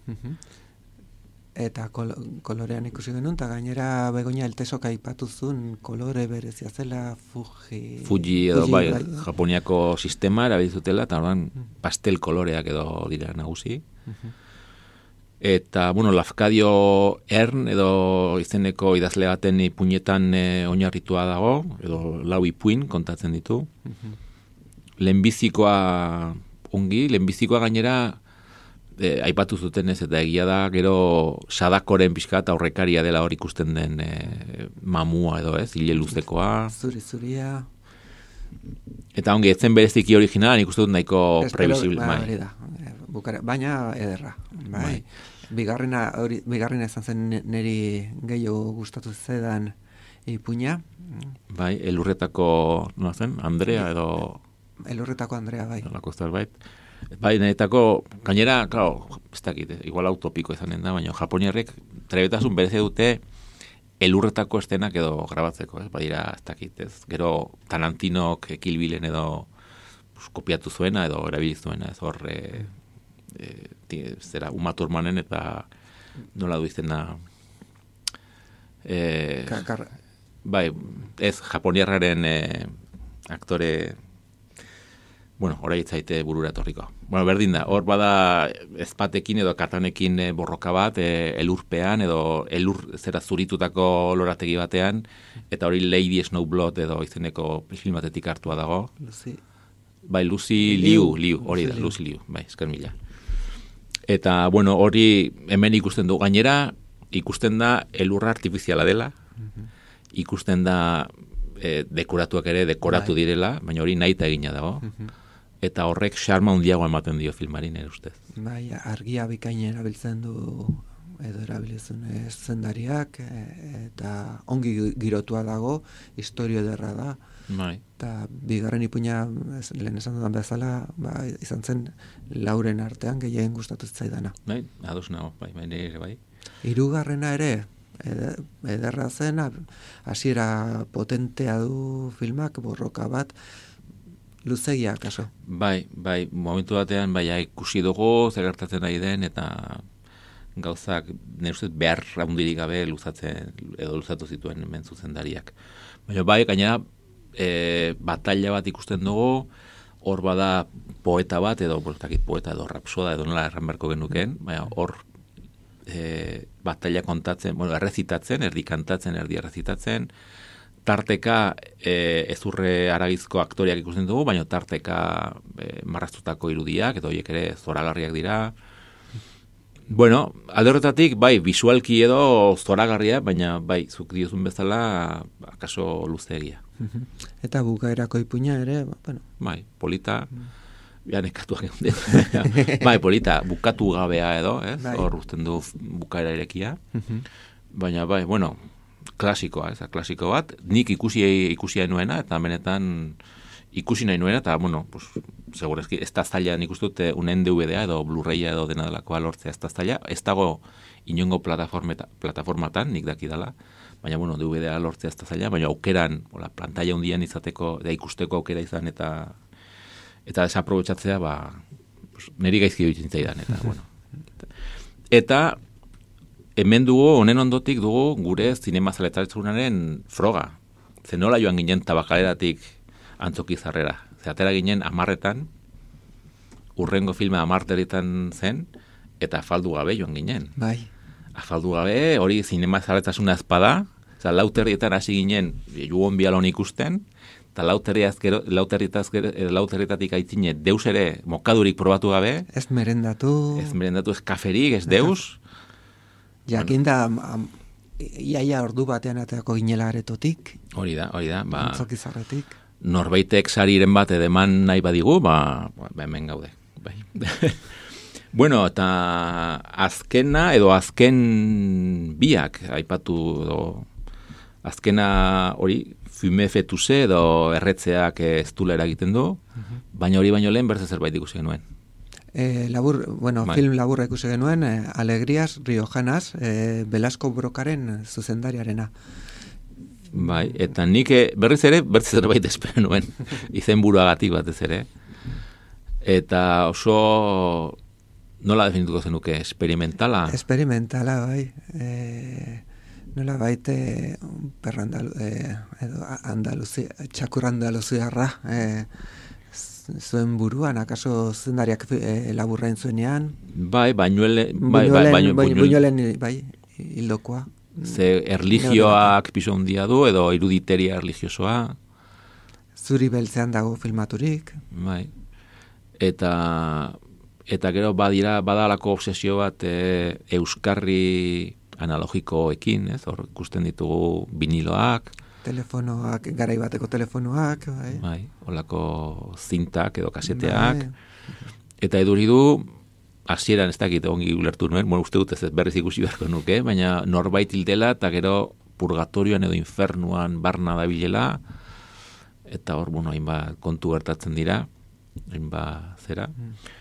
Eta kol kolorean ikusi genuen, eta gainera Begoña Eltesok aipatuzun kolore berezia zela Fuji...
Fuji edo, Fuji, bai, bai, Japoniako sistema erabiltzutela, eta ordan pastel koloreak edo dira nagusi. Eta, bueno, Lafcadio Ern edo izeneko idazle baten ipuinetan e, oinarritua dago, edo lau ipuin kontatzen ditu. Lehenbizikoa ongi, lehenbizikoa gainera e, aipatu zuten ez, eta egia da, gero Sadakoren pixka eta aurrekaria dela hor ikusten den e, mamua edo ez, hile luzekoa.
Zuri, zuria.
Eta ongi, etzen bereziki originala, nik uste dut nahiko previsible.
Ba, bai. Da. Bukare, baina ederra. Bai. Bai. Bigarrena, hori, bigarrena izan zen niri gehiago gustatu zedan ipuina.
Bai, elurretako, nola zen, Andrea edo...
Elurretako Andrea, bai.
Olako zerbait. Bai, niretako, gainera, claro, ez dakit, igual utopiko izanen da, baina japoniarrek trebetasun bereze dute elurretako estenak edo grabatzeko, ez? Badira, ez dakit, ez? Gero Tarantinok Kill Billen edo pues, kopiatu zuena edo erabili zuena, ez hor... E, E, zera Uma Thurmanen eta nola du izena e, bai, ez japoniarraren e, aktore bueno, orai itzaite burura etorriko. Bueno, berdin da, hor bada ezpatekin edo katanekin e, borroka bat e, elurpean edo elur zera zuritutako lorategi batean eta hori Lady Snowblood edo izeneko film batetik hartua dago.
Lucy.
Bai, Lucy Liu, Liu, hori da, Lucy Liu, bai, esker mila. Eta, bueno, hori hemen ikusten du gainera, ikusten da elurra artifiziala dela, uh-huh. ikusten da e, dekoratuak ere dekoratu bai. Direla, baina hori nahita egina dago, uh-huh. eta horrek xarma handiago ematen dio filmari nire ustez.
Bai, argia bikain erabiltzen du edo erabiltzen zendariak, eta ongi girotua dago, historio ederra da,
bai.
Eta bigarren ipuina, lehen esan dudan bezala, ba, izan zen lauren artean gehien gustatu zaidana.
Bai, ados nago, bai, bai, nire, bai.
Hirugarrena ere, ederra zen, hasiera potentea du filmak, borroka bat, luzegia, kaso.
Bai, bai, momentu batean, bai, ikusi dugu, zer gertatzen nahi den, eta gauzak, nire ustez, behar handirik gabe luzatzen, edo luzatu zituen hemen zuzendariak. Baina bai, gainera, E, batalla bat ikusten dugu, hor bada poeta bat, edo bortakit poeta edo rapsoda, edo nola erran beharko genuken, baina hor e, batalla kontatzen, bueno, errezitatzen, erdi kantatzen, erdi errezitatzen, tarteka e, ezurre aragizko aktoriak ikusten dugu, baina tarteka e, marraztutako irudiak, edo horiek ere zoragarriak dira. Bueno, alde horretatik, bai, visualki edo zoragarria, baina bai, zuk diozun bezala, akaso luzeegia.
Eta bukaerako ipuina ere, bueno.
Bai, polita, ja nekatuak egun bai, polita, bukatu gabea edo, ez? Bai. Hor uzten du bukaera irekia. Baina, bai, bueno, klasikoa, ez? Klasiko bat, nik ikusi ikusia nuena, eta benetan ikusi nahi nuena, eta, bueno, pues, segurezki, ez da zaila nik uste dute unen D V D-a edo Blu-raya edo dena delakoa lortzea ez da zaila, ez dago inongo plataformatan, nik daki dela, baina, bueno, D V D-a lortzea ez da zaila, baina aukeran, ola, pantalla hundian izateko, da ikusteko aukera izan, eta eta desaprobetxatzea, ba, pues, niri gaizki dutzen zaidan, eta, bueno. Eta, hemen dugu, honen ondotik dugu, gure zinema zaletaretzunaren froga. Zenola joan ginen tabakaleratik antzoki zarrera. Zeatera ginen amarretan, urrengo filma amarteretan zen, eta afaldu gabe joan ginen.
Bai.
Afaldu gabe, hori zinema zaletasuna ezpada, Oza, lauterrietan hasi ginen, jugon bialon ikusten, eta lauterrietatik aitzine deus ere mokadurik probatu gabe.
Ez merendatu.
Ez merendatu, ez kaferik, ez deus.
Jakinda, bueno. Iaia ordu batean ateako ginela aretotik.
Hori da, hori da. Ba,
Antzokizarretik.
Norbaitek sariren bat edeman nahi badigu, ba, ba hemen gaude. Bai. Bueno, eta azkena edo azken biak aipatu edo azkena hori, fume fetuse edo erretzeak ez dula eragiten du, baina hori baino lehen berze zerbait ikusi genuen.
E, labur, bueno, bai. Film laburra ikusi genuen, e, Alegrias Riojanas, e, Velasco Brokaren zuzendariarena.
Bai, eta nik berriz ere, berriz zerbait espero nuen, izen buruagatik batez ere. Eta oso, nola definituko zenuke, experimentala?
Experimentala, bai. E, nola baite, perrandalu, e, edo Andaluzia, txakur Andaluziarra, e, zuen buruan, akaso zendariak e, laburrain zuenean?
Bai, bainuele, bai, bai, bainu,
bainuelen, bai, hildokoa.
Ze erligioak piso handia du, edo iruditeria erligiosoa.
Zuri beltzean dago filmaturik.
Bai. Eta, eta gero badira, badalako obsesio bat e, euskarri analogikoekin, ez? Hor ikusten ditugu viniloak,
telefonoak, garai bateko telefonoak, bai.
Bai, holako zintak edo kaseteak. Bai. Eta eduri du, hasieran ez dakit ongi ulertu nuen, bueno, uste dut ez berriz ikusi beharko nuke, baina norbait hildela eta gero purgatorioan edo infernuan barna dabilela, eta hor, bueno, hainbat kontu gertatzen dira, hainbat zera. Mm.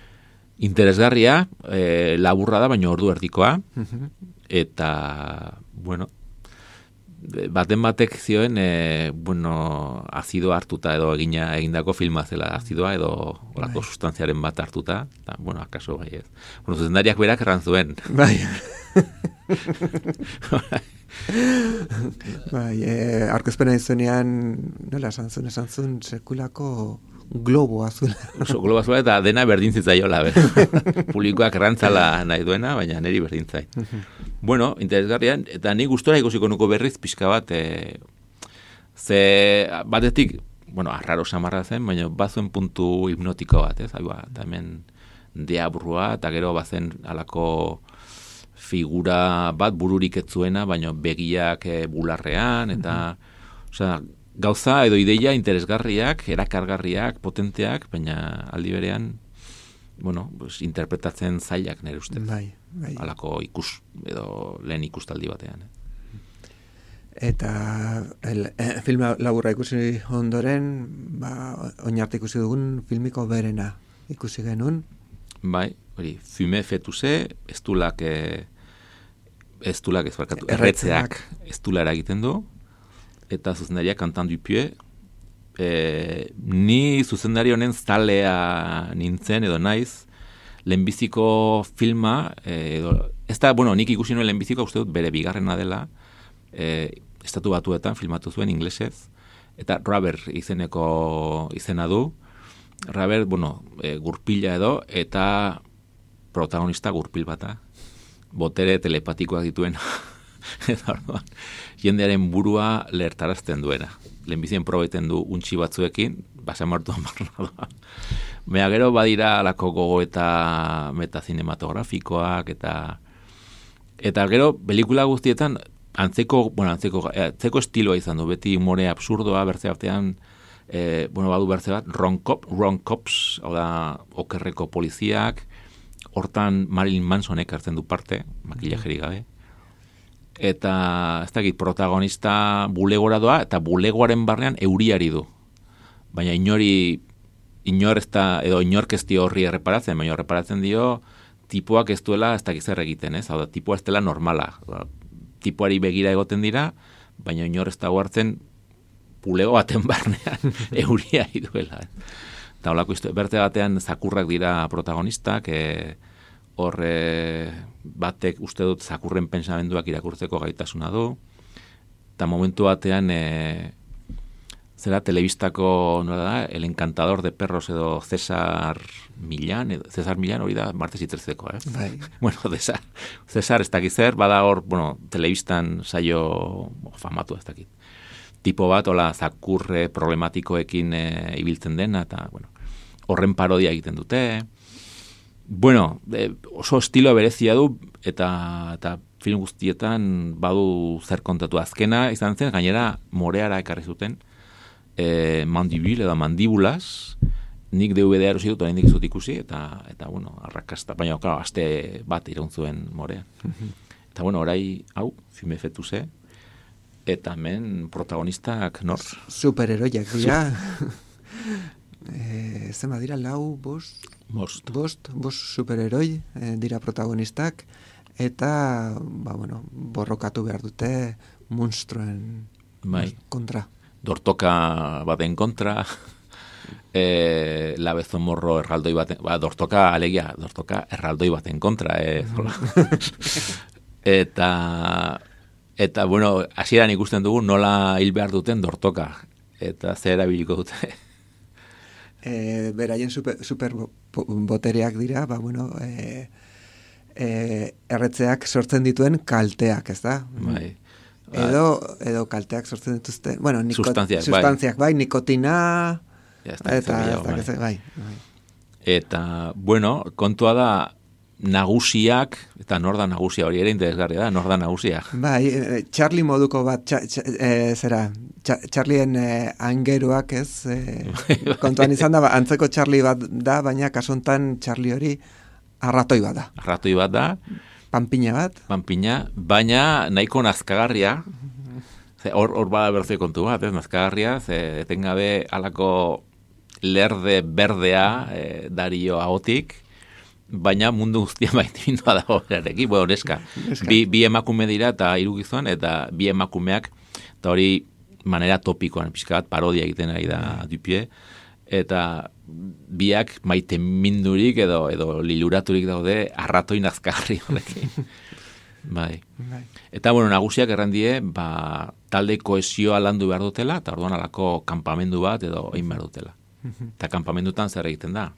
Interesgarria, e, laburra da, baina ordu erdikoa, mm-hmm. Eta, bueno, baten batek zioen, e, bueno, azido hartuta edo egina egindako filma zela, azidoa edo olako bai. Sustantziaren bat hartuta, eta, bueno, akaso bai ez. Bueno, zuzendariak berak erran zuen.
Bai. Bai, e, arkezpena izunean, nola esan zuen, esan zuen, sekulako globo azula.
Oso, globo azula eta dena berdintzitzaiola, publikoak errantzala nahi duena, baina niri berdintzai. Bueno, interesgarrian, eta ni gustora ikusiko nuko berriz pixka bat, e, ze batetik, bueno, arraro samarra zen, baina bazuen puntu hipnotiko bat, ez? Haiba, eta hemen deabrua, eta gero bazen alako figura bat bururik ez zuena, baina begiak e, bularrean, eta, mm-hmm. osea, gauza edo ideia interesgarriak, erakargarriak, potenteak, baina aldi berean, bueno, pues, interpretatzen zailak nire ustez.
Bai, bai.
Alako ikus, edo lehen ikustaldi batean. Eh.
Eta el, eh, film laburra ikusi ondoren, ba, oinarte ikusi dugun filmiko berena ikusi genuen.
Bai, hori, fume fetuse, estulak, eh, estulak ez barkatu, erretzeak estulara egiten du, eta zuzendaria Cantant du Pied, e, ni zuzendari honen zalea nintzen edo naiz, lehenbiziko filma, e, edo, ez da, bueno, nik ikusi nuen lehenbiziko, uste dut bere bigarrena dela, e, estatu batuetan filmatu zuen inglesez, eta Rubber izeneko izena du, Rubber, bueno, e, gurpila edo, eta protagonista gurpil bata, botere telepatikoak dituen, eta orduan, jendearen burua lehertarazten duena. Lehenbizien probaiten du untxi batzuekin, basamartuan barnadoa. Mea gero badira alako gogo eta metazinematografikoak, eta eta gero pelikula guztietan antzeko, bueno, antzeko, antzeko estiloa izan du, beti humore absurdoa, bertze artean, e, bueno, badu bertze bat, wrong, cop, wrong cops, hau da, okerreko poliziak, hortan Marilyn Mansonek hartzen du parte, makillajerik gabe, eta ez dakit protagonista bulegora doa, eta bulegoaren barnean euriari du. Baina inori, inor ez da, edo inork ez dio horri erreparatzen, baina erreparatzen dio, tipuak ez duela ez dakit zer egiten, ez? Hau da, tipua ez dela normala. Tipuari begira egoten dira, baina inor ez da hartzen bulego baten barnean euriari duela. Eta holako izte, berte batean zakurrak dira protagonistak, e, horre batek uste dut zakurren pensamenduak irakurtzeko gaitasuna du, eta momentu batean e, zera telebistako, nola da, El Encantador de Perros edo César Millán, edo, César Millán hori da martes itzerzeko, eh?
Bai.
Bueno, César, César ez dakit zer, bada hor, bueno, telebistan saio famatu ez dakit. Tipo bat, hola, zakurre problematikoekin e, ibiltzen dena, eta, bueno, horren parodia egiten dute, bueno, e, oso estilo berezia du, eta, eta film guztietan badu zer kontatu. Azkena izan zen, gainera moreara ekarri zuten, e, mandibil edo mandibulas, nik D V D erosi dut, oraindik ez dut ikusi, eta, eta bueno, arrakasta, baina, claro, aste bat iraun zuen morea. Eta, bueno, orai, hau, filme fetuse, Eta hemen protagonistak nor?
Superheroiak dira. e, zema dira, lau, bost,
bost,
bost, bost superheroi e, dira protagonistak, eta, ba, bueno, borrokatu behar dute monstruen
bai.
kontra.
Dortoka baten kontra, e, labezomorro erraldoi baten, ba, dortoka alegia, dortoka erraldoi baten kontra, e, eta, eta, bueno, hasieran ikusten dugu nola hil behar duten dortoka, eta zer erabiliko dute.
E, beraien super, super botereak dira, ba, bueno, e, e, erretzeak sortzen dituen kalteak, ez da?
Bai.
Edo, edo kalteak sortzen dituzte, bueno, niko,
Sustantziak,
sustantziak bai. bai, nikotina,
ja,
eta, eta,
bai.
eta, bai, bai.
Eta, bueno, kontua da, nagusiak, eta nor da nagusia hori ere interesgarria da, nor da nagusia.
Bai, e, Charlie moduko bat, txa, txa, e, zera, txa, Charlien e, angeruak ez, e, kontuan izan da, ba, antzeko Charlie bat da, baina kasontan Charlie hori arratoi bat da.
Arratoi bat da,
Panpina bat.
Panpina, baina nahiko nazkagarria. Hor hor bada berzio kontu bat, ez nazkagarria, ze etengabe halako lerde berdea e, dario ahotik, baina mundu guztia maitimindua dago erarekin, bueno, neska. Bi, bi emakume dira eta hiru gizon, eta bi emakumeak, eta hori manera topikoan, pixka bat parodia egiten ari da Dupie, eta biak maite mindurik edo edo liluraturik daude arratoi nazkagarri horrekin. Bai.
Bai.
Eta bueno, nagusiak errandie, ba, talde kohesioa landu behar dutela, eta orduan alako kanpamendu bat edo egin behar dutela. Eta kanpamendutan zer egiten da?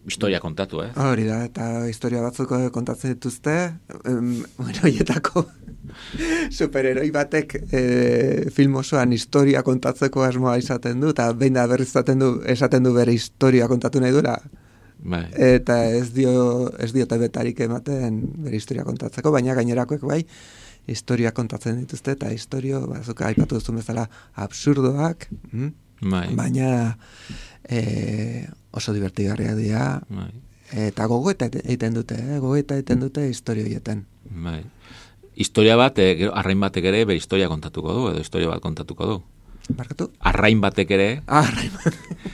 Historia kontatu, eh?
Hori da, eta historia batzuk kontatzen dituzte, em, bueno, hietako superheroi batek e, film osoan historia kontatzeko asmoa izaten du, eta behin da berriz esaten du, esaten du bere historia kontatu nahi duela,
bai.
Eta ez dio ez diote betarik ematen bere historia kontatzeko, baina gainerakoek bai, historia kontatzen dituzte, eta historio, bazuk aipatu duzu bezala, absurdoak, mm?
Bai.
Baina e, oso divertigarria dira,
Bai.
eta gogoeta egiten dute, eh? gogoeta egiten dute historio horietan.
Bai. Historia bat, e, arrain batek ere bere historia kontatuko du, edo historia bat kontatuko du.
Barkatu?
Arrain batek ere,
Ah, arrain batek.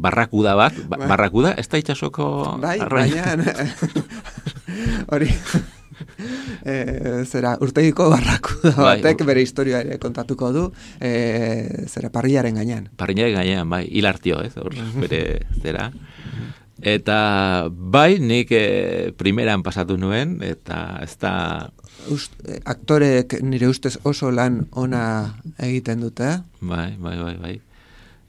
barrakuda bat, ba,
Bai.
barrakuda, ez da itxasoko
Bai,
arrain.
baina hori e, zera urtegiko barrakuda batek
Bai.
bere historia ere kontatuko du, e, zera parrilaren gainean.
Parrinaren gainean, bai, hilartio, ez, hor, bere zera. Eta bai, nik e, primeran pasatu nuen, eta ez da...
Ust, eh, aktorek nire ustez oso lan ona egiten dute.
Bai, bai, bai, bai.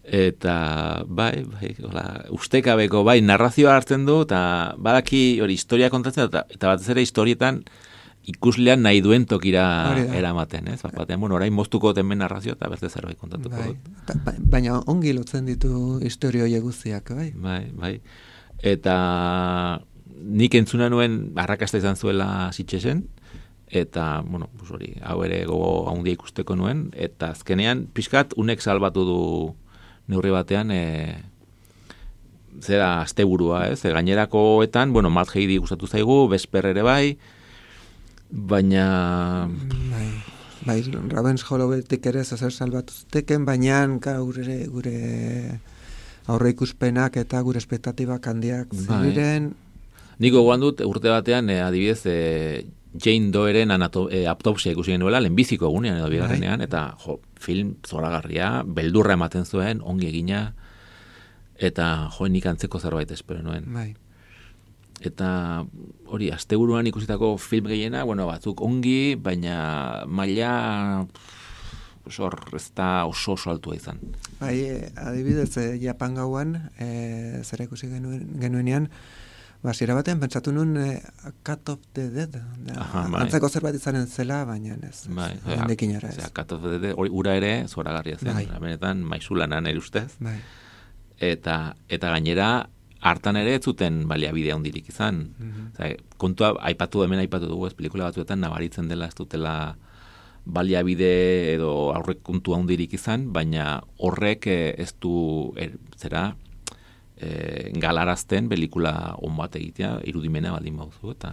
Eta bai, bai, hola, ustekabeko, bai, narrazioa hartzen du, eta badaki hori historia kontatzen, eta, eta batez ere historietan ikuslean nahi duen tokira eramaten, ez? Bat batean, bueno, orain moztuko temen narrazioa, eta beste zerbait kontatuko
bai.
dut.
Ta, ba, baina ongi lotzen ditu historio horiek guztiak, bai?
Bai, bai. Eta nik entzuna nuen arrakasta izan zuela Sitxesen, eta, bueno, pues hori, hau ere gogo handia ikusteko nuen, eta azkenean, pixkat, unek salbatu du neurri batean, e, zera asteburua, ez? E, gainerakoetan, bueno, Matt Heidi gustatu zaigu, Vesper ere bai, baina...
Bai, bai Ravens Hollowaytik ere zer salbatu zuteken, baina gure, gure aurre ikuspenak eta gure espektatibak handiak ziren.
Bai. Niko gogoan dut, urte batean, e, adibidez, e, Jane Doeren anato, e, autopsia ikusi genuela, lehenbiziko egunean edo bigarrenean, eta jo, film zoragarria, beldurra ematen zuen, ongi egina, eta jo, nik antzeko zerbait espero nuen.
Bai.
Eta hori, asteburuan ikusitako film gehiena, bueno, batzuk ongi, baina maila hor ez da oso oso altua izan.
Bai, adibidez, e, Japan gauan, e, zera ikusi genuen, genuenean, basiera batean pentsatu nun e, Cut of the Dead.
Aha, bai.
Antzeko zerbait izanen zela, baina ez.
Bai,
hendekin ere ez.
Cut of the Dead, hori ura ere zoragarria zen,
bai.
Benetan maizulanan ere ustez.
Bai.
Eta, eta gainera, hartan ere ez zuten baliabide handirik izan.
Mm-hmm.
Osea, kontua, aipatu hemen aipatu dugu, ez pelikula batzuetan nabaritzen dela ez dutela baliabide edo aurrekontu handirik izan, baina horrek ez du, er, zera, e, galarazten pelikula on bat egitea, irudimena baldin bauzu, eta...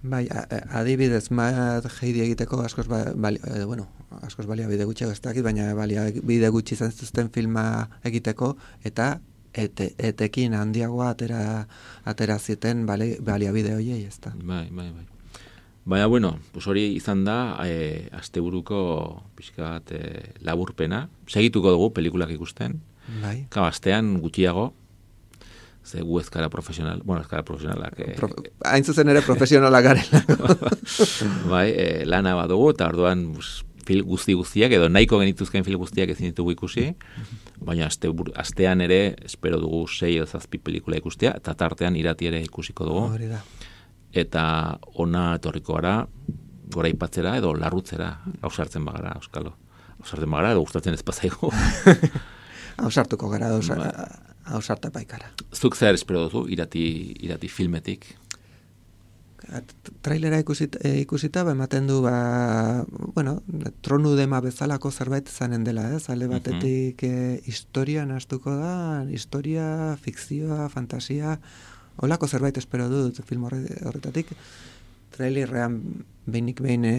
Bai, a, a, adibidez, Matt Heidi egiteko askoz, ba, bali, e, bueno, askoz baliabide gutxiago ez dakit, baina baliabide gutxi izan zituzten filma egiteko, eta ete, etekin handiagoa atera, atera zieten bali, baliabide horiei, ez da.
Bai, bai, bai. Baina, bueno, pues hori izan da, e, asteburuko pixka bat e, laburpena. Segituko dugu pelikulak ikusten.
Bai.
Ka, astean gutxiago, ze gu ezkara profesional, bueno, ezkara profesionalak. E,
Pro, hain zuzen ere profesionalak garela.
Bai, e, lana bat dugu, eta orduan pues, fil guzti guztiak, edo nahiko genituzken fil guztiak ezin ditugu ikusi, baina aste, astean ere, espero dugu sei edo zazpi pelikula ikustea, eta tartean irati ere ikusiko dugu.
Hori da.
Eta ona etorriko gara, gora ipatzera edo larrutzera, hausartzen bagara, Euskalo. Hausartzen bagara edo gustatzen ez pasaigu.
Hausartuko gara, hausarta paikara.
Zuk zer espero duzu, irati, irati filmetik?
Trailera ikusita, ikusita ba, ematen du, ba, bueno, tronu dema bezalako zerbait zanen dela, ez? Alde batetik eh, historia nahastuko da, historia, fikzioa, fantasia, holako zerbait espero dut film horretatik. Trailerrean behinik behin e,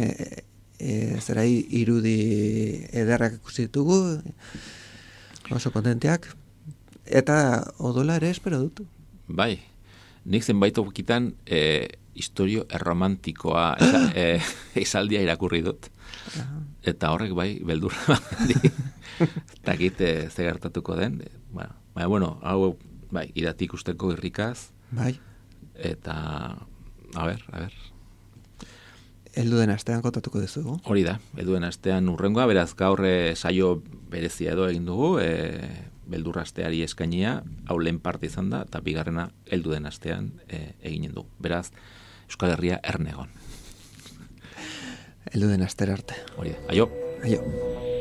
e, zerai irudi ederrak ikusi ditugu, oso kontenteak, eta odola ere espero dut.
Bai, nik zenbait okitan e, historio erromantikoa esa, e, esaldia irakurri dut. Aha. Eta horrek bai, beldurra bandi. Takit e, ze gertatuko den. E, bueno, baina, bueno, hau bai, irati ikusteko irrikaz.
Bai.
Eta, a ber, a ber.
Elduden astean kontatuko duzu.
Hori da, elduden astean urrengoa, beraz gaur e, saio berezia edo egin dugu, e, beldurra asteari eskainia, hau lehen parte izan da, eta bigarrena elduden astean e, eginen du. Beraz, Euskal Herria ernegon.
Elduden astera arte.
Hori da, aio.
Aio.